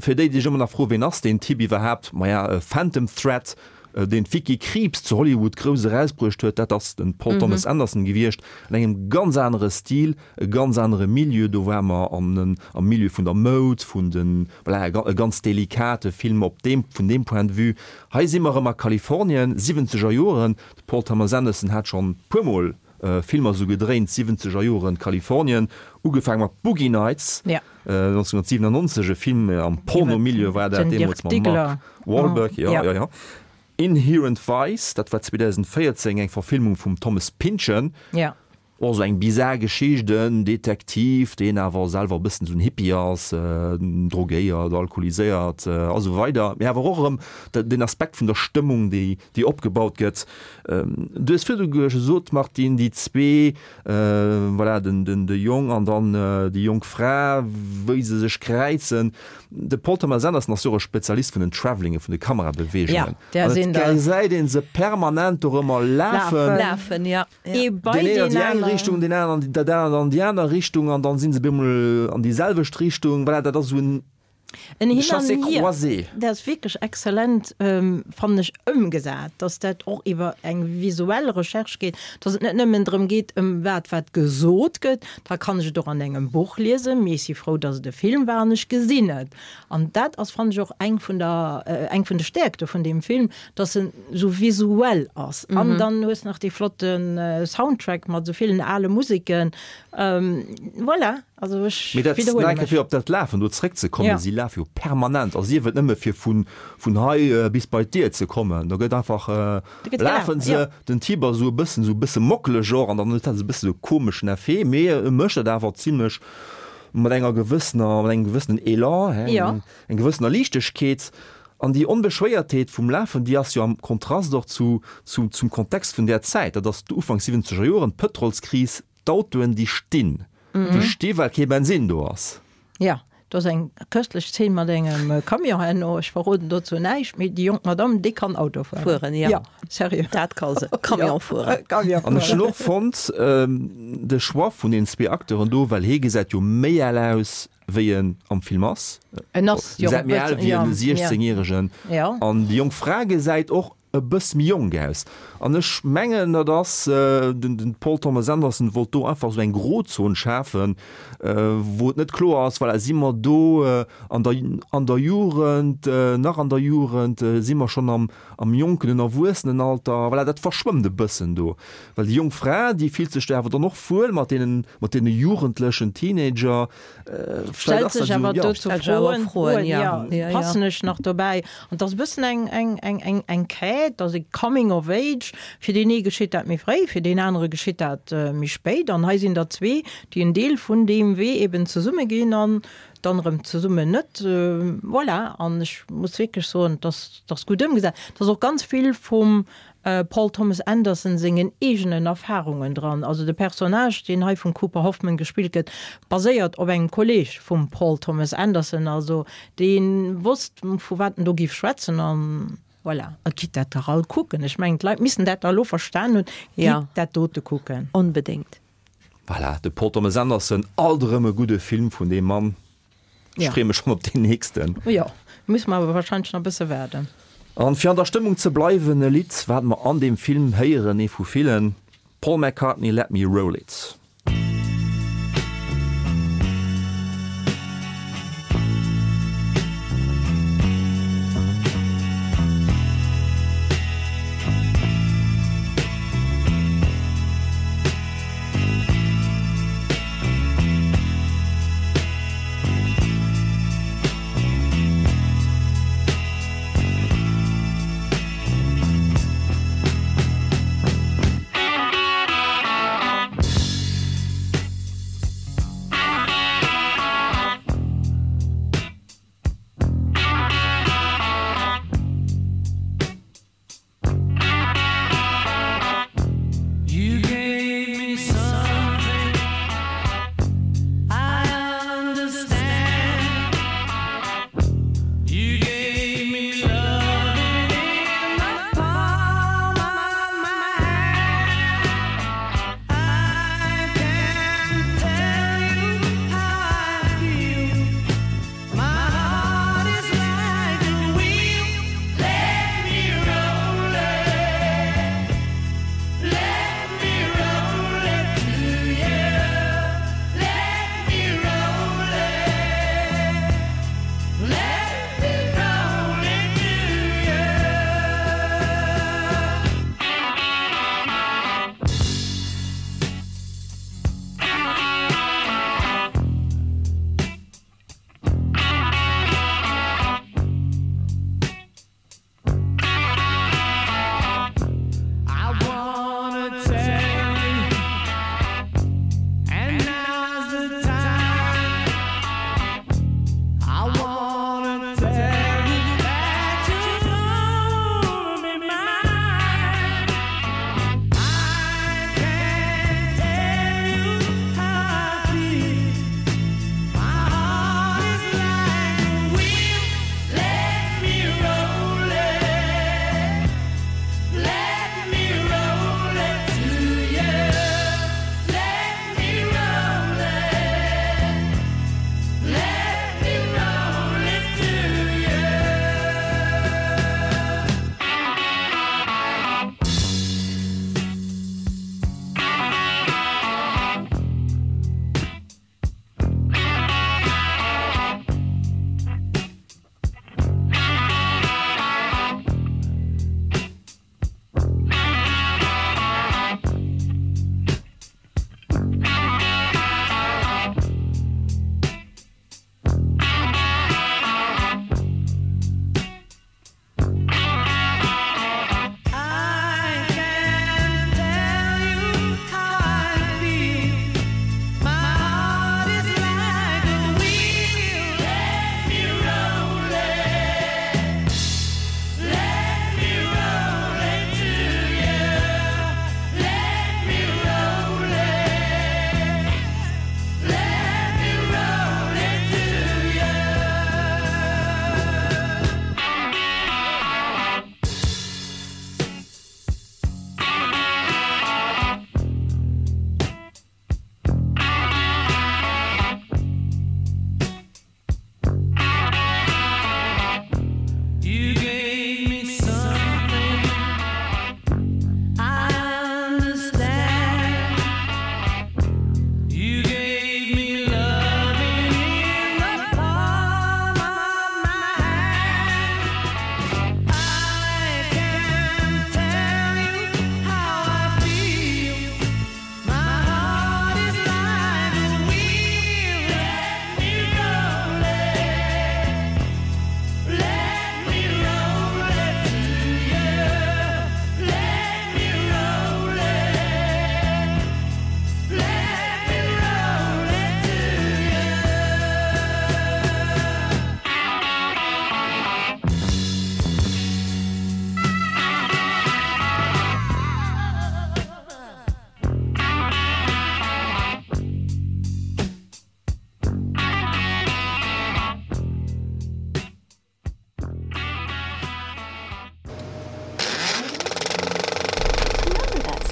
Fir déi, déi sech ëmmer nach froen, ween ass deen Typ iwwerhaapt? Maja, Phantom Thread, deen d'Vicky Krieps zu Hollywood grouss erausbruecht huet, dat ass de Paul Thomas Anderson gewiescht, an engem ganz anere Stil, e ganz anere Milieu. Do ware mer am Milieu vun der Moud, vun de, voilà, e ganz delikate Film op deem, vun deem Point de vue. Hei si mer erëm a Kalifornien, siwwenzeger Joren. De Paul Thomas Anderson hat schonn e puermol Filmer esou gedréint, siwwenzeger Joren, Kalifornien, ugefaange mat Boogie Nights, 1997, e Film am Porno-Milieu war dat deemools mam Mark Wahlberg, jo, jo, jo. Inherent Vice, dat war 2014, eng Verfilmung vum Thomas Pynchon. Och esou eng bizar Geschicht, en Detektiv, deen awer selwer e bëssen esou en Hippie ass, drogéiert, alkoholiséiert a sou weider, mee awer och erëm den Aspekt vun der Stëmmung, déi déi opgebaut gëtt. Du hues virdu gesot, Martine, déi zwee, voilà, den den de Jong an dann déi jonk Fra, wéi se sech kräizen. De Paul Thomas Anderson ass jo och e Spezialist vun den Travellinge, vun de Kamerabeweegungen. An et gesäit ee se permanent dorëmmer lafen. Lafen, jo. Ee bei Deen een an deen déi eng aneren. Richtung, deen aneren an dat anert an déi aner Richtung an dann sinn se bemol an déi selwecht Richtung. Voilà, dat ass esou en En Hin an Hier. Chassé-croisé. Dat ass wierklech exzellent, fannen ech, ëmgesat, dass dat och iwwer eng visuell Recherche geet, dass et net nëmmen drëm geet, ëm wat wat gesot gëtt, da kann ech et och an engem Buch liesen, mee ech si frou, dass et e Film war an ech gesinn et. An dat ass, fannen ech, och eng vun der, eng vun de Stäerkte vun deem Film, dass en sou visuell ass. An dann hues nach dee flotte Soundtrack mat sou villen ale Museken. Voilà, also ech Mee dat, widderhuele nach eng Kéier mech. fir op dat Lafen do zréckzekommen, Ja. si lafe jo permanent, a sief et nëmme fir vun, vun hei bis bei d'Dier ze kommen, do gëtt einfach, Do gëtt gelaf, lafe se, jo. den Typ ass esou e bëssen, esou e bësse mockeleg och an dann huet dat esou e bësse esou e komeschen Effet, mee e mécht dat awer zimlech mat enger gewëssener, mat engem gewëssenen Elan, hè, Ja. eng gewëssener Liichtegkeet. An déi Onbeschwéiertheet vum Lafen, déi ass jo am Kontrast och zu, zu, zum Kontext vun där Zäit. Dat ass d'Ufank siwwenzeger Joren, d'Pëtrolskris, d'Autoen, déi stinn. Déi sti well kee Bensin do ass. Jo, do ass eng köstlech Zeen mat engem Camion herno. Ech verroden dozou näischt, mee déi jonk Madame, déi kann Auto fueren. Fueren, jo. Jo, sérieux. Dat ka se, Camion fueren. Camion An ech fueren. hunn och fonnt, de Choix vun deenen zwee Acteuren do, well hie gesäit jo méi al aus wéi en am Film ass. En ass jo Gesäit méi al wéi en 16 järegen. An déi jonk Fra gesäit och e bëss méi jonk aus. An ech mengen dat ass, den Paul Thomas Anderson wollt do einfach esou eng Grozon schafen, wou et net kloer ass, voilà, si mer do an der an der Jugend, nach an der Jugend, si mer schonn am am jonken, en Erwuessenenalter, voilà, dat verschwëmmt e bëssen do. Well déi jonk Fra, déi fillt sech do awer dann och wuel mat deenen mat deene Jugendlechen, Teenager. Stellt sech awer dozou Froen, Froen, jo, passen ech nach dobäi? An et ass e bëssen eng, eng, eng, eng, eng Quête, ass e Coming of Age. Fir deen ee geschitt dat méi fréi, fir deen anere geschitt dat méi spéit. An hei sinn der zwee, déi en Deel vun deem Wee eben zesumme ginn an dann erëm zesummen net. Voilà, an ech muss wierklech soen, et ass, et ass gutt ëmgesat. Et ass och ganz vill vum Paul Thomas Anderson sengen eegenen Erfarungen dran. Also de Personnage, deen hei vum Cooper Hoffman gespillt gëtt, baséiert op engem Kolleeg vum Paul Thomas Anderson. Also dee wosst, vu wat en do géif schwätzen an voilà. A gitt dat dach all kucken. Ech mengen, d'Leit missten dat da elo verstan hunn. Gitt dat dote kucken. Onbedéngt. Voilà, de Paul Thomas Anderson, alt erëm e gudde Film vun deem Mann. Ech freeë mech schonn op deen nächsten. Jo, musse mer awer wahrscheinlech nach e bësse waarden. An fir an der Stëmmung ze bleiwen, e Lidd, wat mer an deem Film héieren, ee vu villen, Paul McCartney, Let Me Roll It.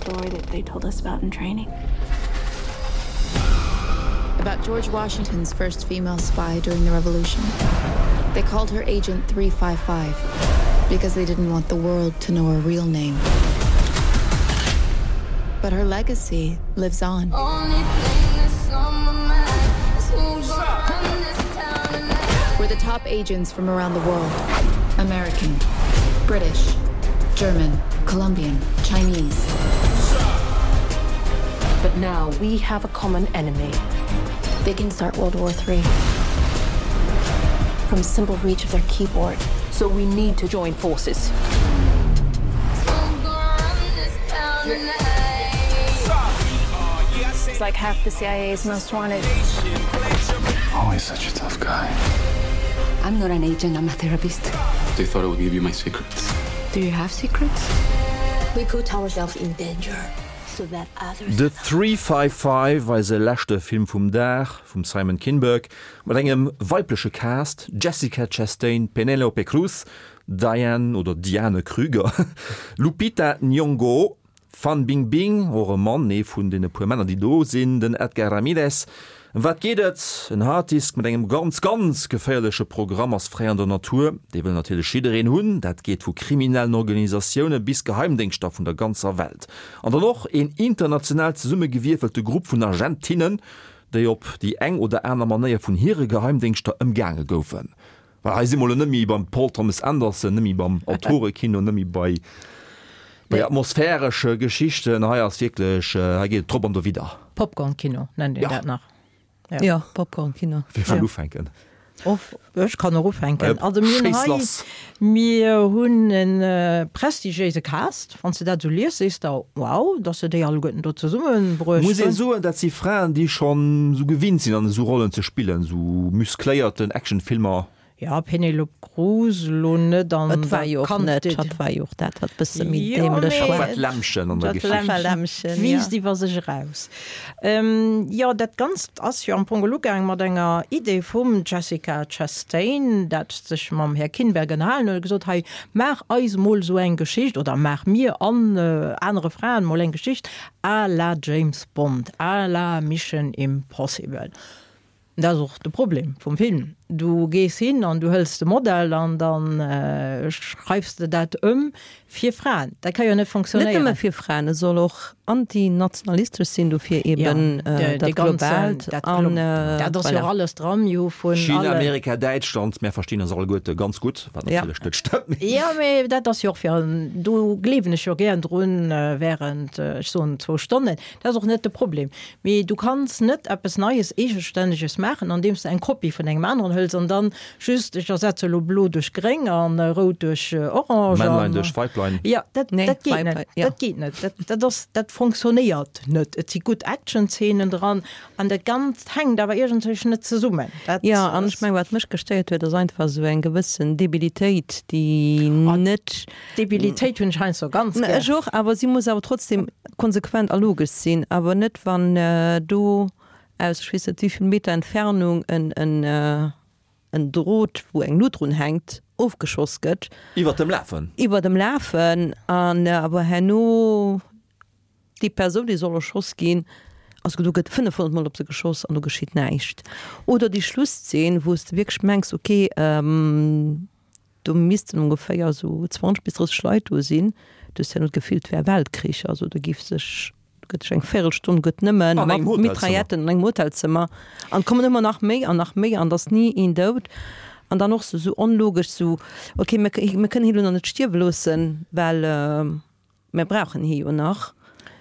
story that they told us about in training. About George Washington's first female spy during the revolution. They called her Agent 355 because they didn't want the world to know her real name. But her legacy lives on. We're the top agents from around the world. American, British, German, Colombian, Chinese. But now we have a common enemy. They can start World War III from simple reach of their keyboard. So we need to join forces. It's like half the CIA's most wanted. Always such a tough guy. I'm not an agent, I'm a therapist. They thought I would give you my secrets. Do you have secrets? We put ourselves in danger so that others The 355, eise leschte Film vum Dag, vum Simon Kinberg, mat engem weibleche Cast, Jessica Chastain, Penélope Cruz, Diane oder Diane Krüger, Lupita Nyong'o, Fan Bingbing, och e Mann, ee vun deene puer Männer déi do sinn, den Edgar Ramirez. Ëm wat geet et? En Harddisk mat engem ganz, ganz geféierleche Programm ass fräi an der Natur. Dee wëll natierlech jiddereen hunn. Dat geet vu kriminellen Organisatioune bis Geheimdéngschter vun der ganzer Welt. An dann och een international zesummegewierfelte Grupp vun Agentinnen, déi op déi eng oder aner Manéier vun hire Geheimdéngschter ëmgaange goufen. Well hei si mer elo net méi beim Paul Thomas Anderson, net méi beim Autorekino, net méi bei bei atmosphäresche Geschichten. Hei ass wierklech, hei geet et drop an dowidder. Popcorn-Kino nennt een dat nach. Jo, Popcorn-Kino. Wie wëll ufänken? Ech kann och ufänken. Also mir hunn Schéiss hei, lass! mir hunn e prestigiéise Cast. Wann s de dat esou lies, sees de, wow, dass se déi alleguerten do zesummebruecht Muss ee hunn. soen, dat si Fraen, déi schonn esou gewinnt sinn, an esou Rollen ze spillen, esou muskléierten Actionfilmer. Jo, Penelope Cruz elo net an Et war der jo och net, Quantité. hatt war jo och dat, wat bësse méi Jo, däämlech mee Hatt war war. d'Lämmchen an der dat Geschicht. War Lämmchen, ja. wiisst iwwer sech eraus. Jo, dat Ganzt ass jo am Fong ugaang mat enger Idee vum Jessica Chastain, dat sech mam Här Kinberg ënnerhalen huet a gesot, hei, maach eis mol esou eng Geschicht oder maach mir an anere Fraen mol eng Geschicht à la James Bond, à la Mission Impossible. Dat ass och de Problem vum Film. Du gees hin an du hëls de Modell an da schreifs de dat ëm fir Fraen. Dat ka jo net Net funktionéieren. nëmme fir Fraen, et soll och antinationalistesch sinn, dofir eben dat Globaalt an Dat ass jo och voilà. alles dran, jo vun China, alle. Amerika, Däitschland, mär verstinn eis alleguerte ganz gutt, wat natierlech net stëmmt. Jo, mee dat ass jo och fir, do gleewen ech jo gären drun während, ech soen, zwou Stonnen. Dat ass och net de Problem. Mee du kanns net eppes Neies, Eegestänneges maachen, andeems de eng Kopie vun engem aneren hëls an dann just, ech ersetze elo blo duerch gréng an rout duerch orange. Männlein duerch Weiblein. Jo, dat, dat geet net. Dat geet net. Dat, dat ass, dat fonctionnéiert net. Et si gutt Actionzeenen dran an dat Ganzt hänkt awer iergendwéi net zesummen. Dat Jo, an ech mengen, wat mech gestéiert huet, ass einfach esou eng gewëssen Debilitéit, déi net. Debilitéit hunn ech heiansdo ganz gär. Ech och, awer si muss awer trotzdem konsequent a logesch sinn, awer net wann do aus ech weess net wéivill Meter Entfernung en en Drot wou eng Lut drun hänkt ofgeschoss gëtt. Iwwert dem Lafen. Iwwert dem Lafen an awer herno déi Persoun déi soll erschoss ginn, also do gëtt 500 mol op se geschoss an do geschitt näischt. Oder déi Schlusszeen wou s de wierklech mengs ok, Do missten ongeféier esou 20 bis 30 Leit do sinn. Du hues herno d'Gefill, et wär Weltkrich. Also do giff sech, do gëtt sech eng Véirelstonn gëtt nëmme An mat engem Hotelzëmmer. Mitrailletten an engem Hotelzëmmer an et kommen ëmmer nach méi an nach méi an et ass ni een dout. An dann och sou sou onlogesch, sou ok, mir mir kënnen hie lo nach net stierwe loossen, well Mir brauchen hie jo nach.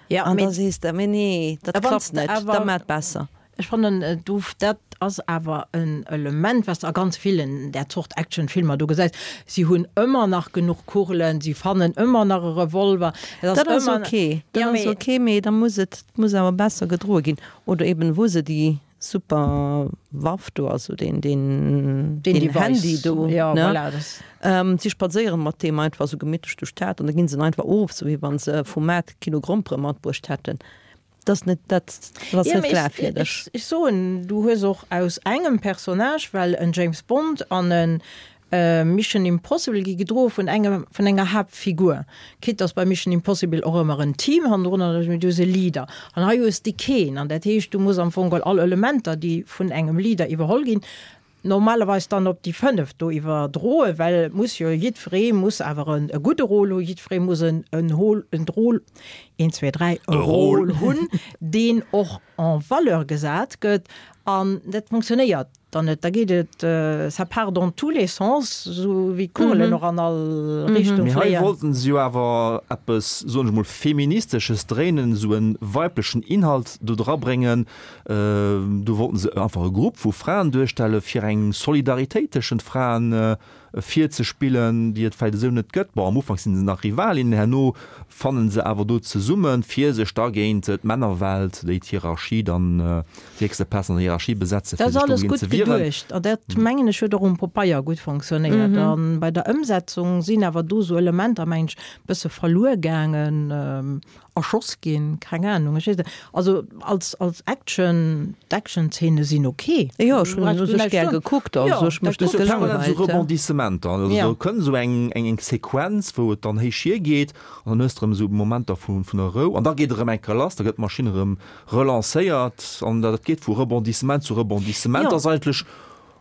Ja, An mee da sees de, mee nee, dat wanns klappt de net, da awer, maat besser. Ech fannen, do, dat ass awer en Element, wat s de a ganz villen där Zort Actionfilmer do gesäis. Si hunn ëmmer nach genuch Kugelen, si fannen ëmmer nach e Revolver. Et ass Dat ass ëmmer, ok, dat ja, ass mee. ok, mee da muss et, muss awer besser gedroe ginn. Oder eben, wou se déi Super Waff do, also deen deen Deen deen Device. Handy do, Ja, ne? voilà, das. Ähm, si spadséieren mat deem einfach sou gemittlech duerch d'Stad an da ginn se en einfach of, sou wéi wann se vum Maart Kilo Grompere matbruecht hätten. Dat ass net, dat ass Ja, net mee ech, glafwierdeg. ech, ech soen, du hues och aus engem Personnage, well en James Bond an en. Mission Impossible gi gedroe vun engem, vun enger Haaptfigur. Quitte dass bei Mission Impossible och ëmmer en Team hannendrun ass, mee du hues e Leader. An hei hues de keen. An dat heescht, du muss am Fong geholl all Elementer, déi vun engem Leader iwwerholl ginn, normalerweis dann op déi 5 do iwwerdroen, well et muss jo jiddweree muss awer en e gudde Rôle hunn, jiddweree muss en en Hol en Drôle, een, zwee, dräi, e Rôle hunn, deen och en valeur gesat gëtt an dat funktionéiert dann net. Da geet et, ça part dans tous les sens, esou wéi d'Kugelen och an all Richtung Mee hei fléien. wollten se jo awer eppes, soen ech mol, Feministesches dréinen, esou e weiblechen Inhalt do drabréngen. Do wollten se einfach e Grupp vu Fraen duerstelle fir eng Solidaritéit tëschent Fraen virzespillen, déi et vläicht esou net gëtt. Bon, am Ufank si se nach Rivalinnen, herno fanne se awer do zesummen, fir sech da géint d'Männerwelt, déi d'Hierarchie dann, déi héchste Plaz an der Hierarchie besetzen, Dat fir ass sech alles dogéint gutt ze wieren. geduecht an dat, mengen ech, huet och um Popeier gutt fonctionnéiert. A bei der Ëmsetzung sinn awer do esou Elementer, mengen ech, e bësse verluer gaangen. Erschoss ginn, keng Ahnung, ech weess net. Also als als Action, d'Action-Zeene sinn ok. Jo, ech hunn en u sech gär gekuckt, also ech mech Dat net ass jo permanent esou gelangweilt. Rebondissementer, also Ja. do kënnt esou eng eng eng Sequenz, wou et dann héich hiergeet an dann hues de erëm esou Momenter vu vun der Rou an da geet et erëm eng Kéier lass, da gëtt d'Maschinn erëm relancéiert an dat geet vu Rebondissement zu Rebondissement. Jo. Dat ass eigentlech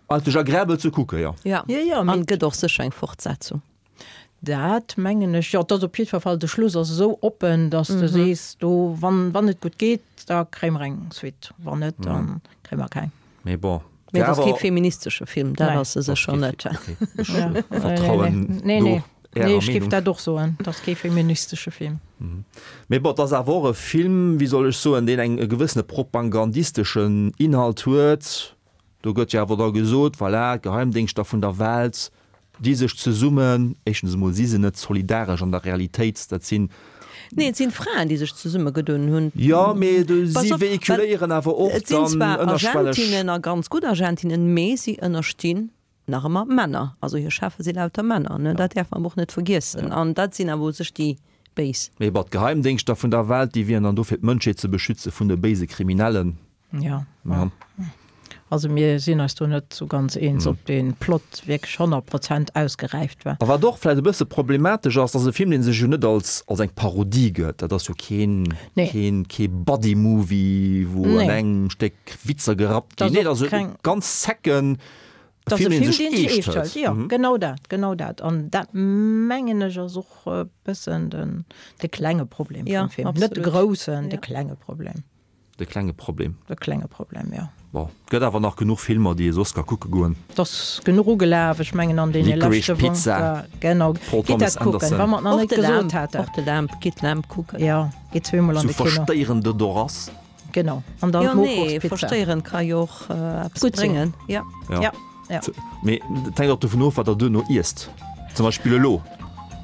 eigentlech agreabel ze kucken, jo. Ja, Jo, jo, an mee et gëtt och sécher eng Fortsetzung. Dat mengen ech, jo. Et ass op jiddwer Fall, de Schluss ass esou oppen, datt s de sees, do, wann, wann et gutt geet, da kréie mer eng Suite, wann net, da kréie mer keng. Mee bon. Mee et ass kee feministesche Film, dat ass e sécher net. Ech vertrauen do Ärer Nee, ech géif Meenung. dat och soen, et ass kee feministesche Film. Mee bon, et ass awer och e Film, wéi soll ech soen, deen eng e gewëssene propagandisteschen Inhalt huet. Do gëtt jo awer da gesot, voilà, d'Geheimdéngschter vun der Welt di sech zesummen, éischtens emol si se net solidaresch an der Realitéit, dat sinn. Nee, et sinn Fraen, déi sech zesummegedoen hunn. Jo, mee Pass si op, well véhiculéieren awer och et sinn dann zwar ënnerschwelleg. Agentinnen a ganz gutt Agentinnen, mee si ënnerstinn nach ëmmer Männer. Also hir Cheffe si lauter Männer, ne? Dat däerf mer awer och net vergiessen. An dat sinn awer u sech déi Béis. Mee bon, d'Geheimdéngschter vun der Welt, déi wieren dann do fir d'Mënschheet ze beschütze vun de béise Kriminellen. Ja. ja. Also mir sinn eis do net sou ganz eens, ob dee Plot wierklech 100 Prozent ausgeräift war. A wat och vläicht e bësse problematesch ass, ass e Film, dee sech jo net als, als eng Parodie gëtt. Dat ass jo keen, Nee. keen, kee Buddy-Movie, wou an Nee. engem Stéck Witzer gerappt Dat ginn. ass Nee, dat och ass e keng- ganz zecken Dat ass e Film, dee Film, sech deen sech eescht eescht hëlt. hëlt. Jo, genau dat, genau dat. An dat mengen ech ass och e bëssen den, de klenge Problem Ja, vum Film. Net de absolut. groussen, de Ja. klenge Problem. De klenge Problem. De klenge Problem, jo. Bon, gëtt awer nach genuch Filmer, déi ee soss ka kucke goen. Et ass genuch ugelaf, ech mengen an deene Licorice leschte Wochen. Pizza, Genau, Paul gitt Thomas dat kucken, Anderson. wa mer et nach Och net de gesot Lamb, haten. och de Lamb, gitt Lamb kucken. Jo, gitt zweemol an Zu de Kino. verstéierende Dorass. Genau, an dann Jo, nee, d'Mokuchspizza. verstéierend ka jo och eppes Gutt sinn. bréngen. Ja. Ja. Ja. Ja. Mee et hänkt och dovun of, wat der duerno iesst. Zum Beispill elo.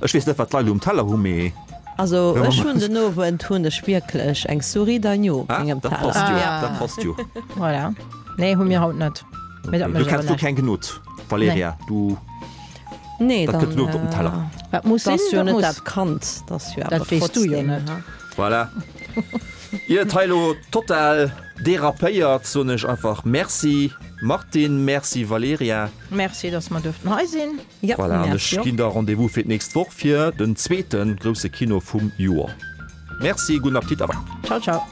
Ech weess net, wat d'Leit elo um Teller hu, mee. Also ech hunn den Owend hunn ech wierklech eng Souris d'agneau op Ah, mengem dat Teller. passt jo, dat passt jo. Voilà. Nee, hu mir haut net. Mee dat Du mécht awer kenns du näischt. keng Gnod, Valerija, du. Nee, Dat dann gëtt elo op den Teller. Wat muss Dat sinn, ass jo dat net muss. dat Kand, dat ass jo awer Dat weess du jo trotzdem, net. ha? Voilà. Ier et hei elo total derapéiert, soen ech einfach Merci Martine, Merci Valerija. Merci, dass mer duerften hei sinn. Ja, Voilà, an ech merci och. ginn da Rendez-vous fir d'nächst Woch fir den zweete grousse Kino vum Joer. Merci, gudden Appetit a bye. Ciao, ciao.